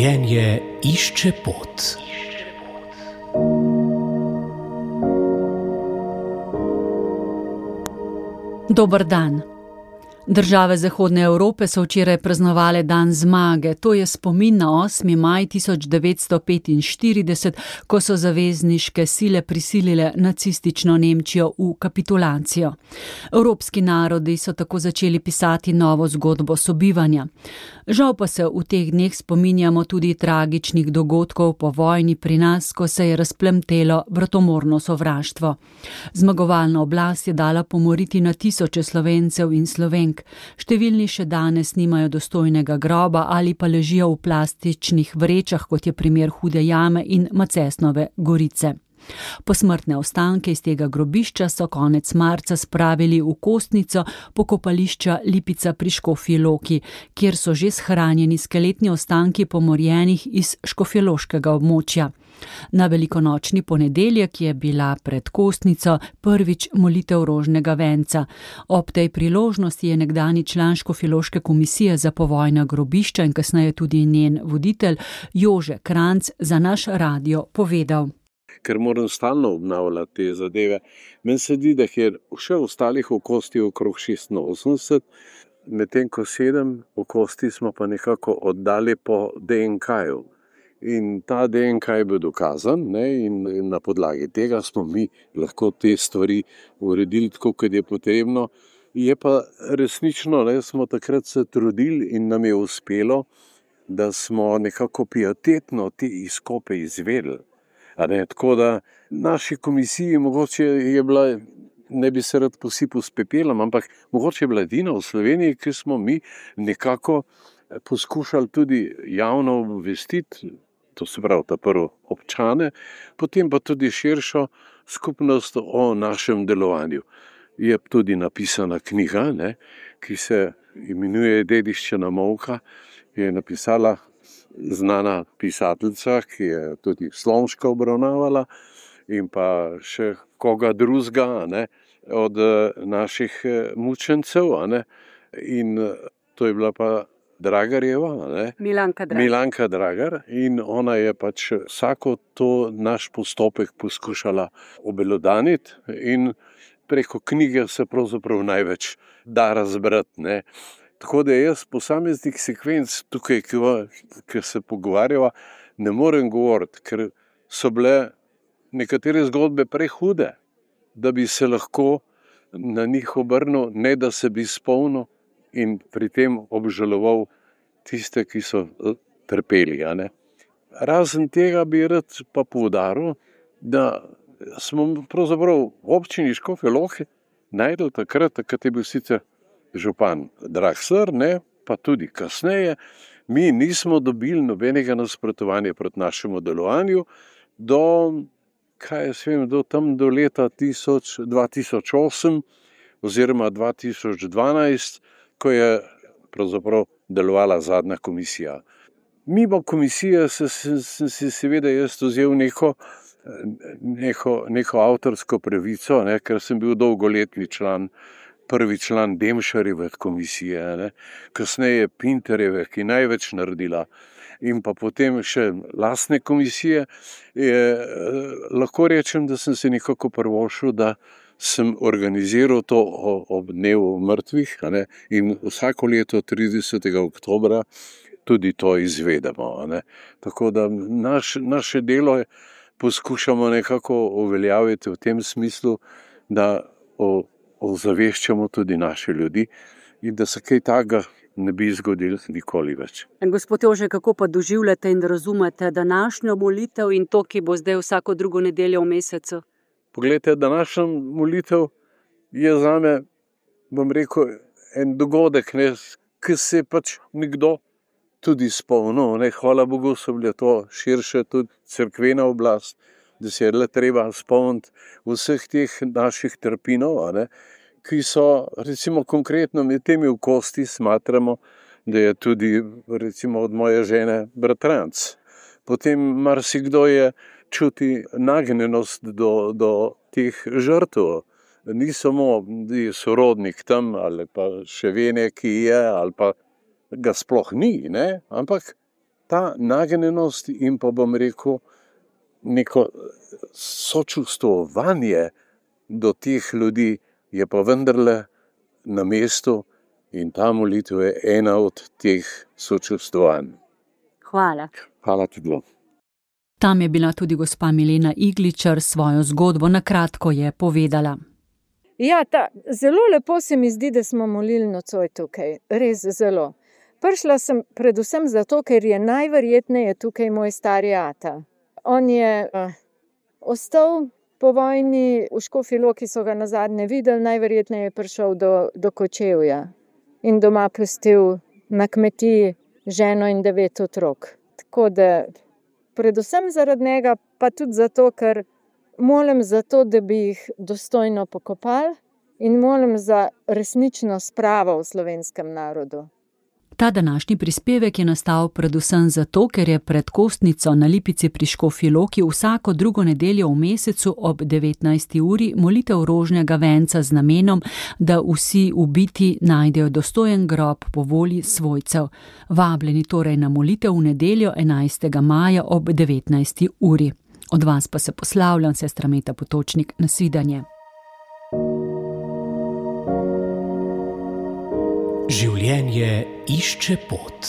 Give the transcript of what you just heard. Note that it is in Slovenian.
Življenje išče pot. Dober dan. Države Zahodne Evrope so včeraj praznovale dan zmage. To je spomin na 8. maj 1945, ko so zavezniške sile prisilile nacistično Nemčijo v kapitulacijo. Evropski narodi so tako začeli pisati novo zgodbo sobivanja. Žal pa se v teh dneh spominjamo tudi tragičnih dogodkov po vojni pri nas, ko se je razplamtelo bratomorno sovraštvo. Zmagovalna oblast je dala pomoriti na tisoče Slovencev in Slovenk. Številni še danes nimajo dostojnega groba ali pa ležijo v plastičnih vrečah, kot je primer Hude jame in Macesnove gorice. Posmrtne ostanke iz tega grobišča so konec marca spravili v Kostnico pokopališča Lipica pri Škofji Loki, kjer so že shranjeni skeletni ostanki pomorjenih iz škofjeloškega območja. Na velikonočni ponedeljek je bila pred Kostnico prvič molitev rožnega venca. Ob tej priložnosti je nekdanji član Škofjeloške komisije za povojna grobišča in kasneje tudi njen voditelj Jože Kranjc za naš radio povedal. Ker moram stalno obnavljati te zadeve. Meni se zdi, da je še ostalih okosti okrog 86, medtem ko 7 okosti smo pa nekako oddali po DNK-ju. In ta DNK je bil dokazan, in na podlagi tega smo mi lahko te stvari uredili tako, kot je potrebno. Je pa resnično, smo takrat se trudili in nam je uspelo, da smo nekako pietetno te izkope izvedeli. Tako da naši komisiji mogoče je bila, ne bi se rad posipal s pepelom, ampak mogoče je bila edina v Sloveniji, ki smo mi nekako poskušali tudi javno obvestiti, to se pravi ta prvo občane, potem pa tudi širšo skupnost o našem delovanju. Je tudi napisana knjiga, ki se imenuje Dediščina molka, je napisala znana pisateljica, ki je tudi Slomška obravnavala in pa še koga drugega od naših mučencev. In to je bila pa Dragarjeva, Milanka Dragar, in ona je pač vsako to naš postopek poskušala obelodaniti in preko knjige se pravzaprav največ da razbrati. Tako da jaz posameznih sekvenc tukaj, ki se pogovarjava, ne morem govoriti, ker so bile nekatere zgodbe prehude, da bi se lahko na njih obrnil, ne da se bi spomnil in pri tem obžaloval tiste, ki so trpeli. Razen tega bi rad pa poudaril, da smo pravzaprav v občini Škofja Loka našli takrat je bil sicer župan Dragsler, pa tudi kasneje, mi nismo dobili nobenega nasprotovanja proti našemu delovanju do leta 2008 oziroma 2012, ko je pravzaprav delovala zadnja komisija. Mimo komisije sem si seveda jaz vzel neko avtorsko pravico, ker sem bil dolgoletni član, prvi član Demšarjeve komisije, kasneje Pinterjeve, ki največ naredila, in pa potem še lastne komisije. Lahko rečem, da sem se nekako privoščil, da sem organiziral to ob dnevu mrtvih, in vsako leto 30. oktobra tudi to izvedemo. Tako da naše delo poskušamo nekako uveljaviti v tem smislu, da ozaveščamo tudi naše ljudi in da se kaj takega ne bi zgodilo nikoli več. Gospod Jože, kako pa doživljate in razumete današnjo molitev in to, ki bo zdaj vsako drugo nedeljo v mesecu? Poglejte, današnja molitev je zame, bom rekel, en dogodek, ki se je pač nekdo tudi spomnil. Hvala Bogu, so bile to širše tudi cerkvena oblast, da se je le treba spomniti vseh teh naših trpinov, ki so, recimo konkretno med temi okosti smatramo, da je tudi recimo od moje žene bratranec. Potem marsikdo je čuti nagnjenost do teh žrtev. Ni samo sorodnik tam ali pa še ve, ki je, ali pa ga sploh ni, ampak ta nagnjenost in pa bom rekel neko sočustvovanje do teh ljudi je pa vendarle na mestu in ta molitev je ena od teh sočustvovanj. Hvala. Hvala tudi vam. Tam je bila tudi gospa Milena Igličar, svojo zgodbo na kratko je povedala. Ja, zelo lepo se mi zdi, da smo molili nocoj tukaj, res zelo. Prišla sem predvsem zato, ker je najverjetneje tukaj moj stari ata. On je ostal po vojni v Škofji Loki, so ga nazadnje videli, najverjetneje je prišel do Kočevja in doma pustil na kmetiji ženo in 9 otrok. Tako da predvsem zaradi njega, pa tudi zato, ker molim za to, da bi jih dostojno pokopali in molim za resnično spravo v slovenskem narodu. Ta današnji prispevek je nastal predvsem zato, ker je pred Kostnico na Lipici pri Škofji Loki vsako drugo nedeljo v mesecu ob 19. uri molitev rožnega venca z namenom, da vsi ubiti najdejo dostojen grob po volji svojcev. Vabljeni torej na molitev v nedeljo 11. maja ob 19. uri. Od vas pa se poslavljam, sestra Meta Potočnik, nasvidenje. Življenje išče pot.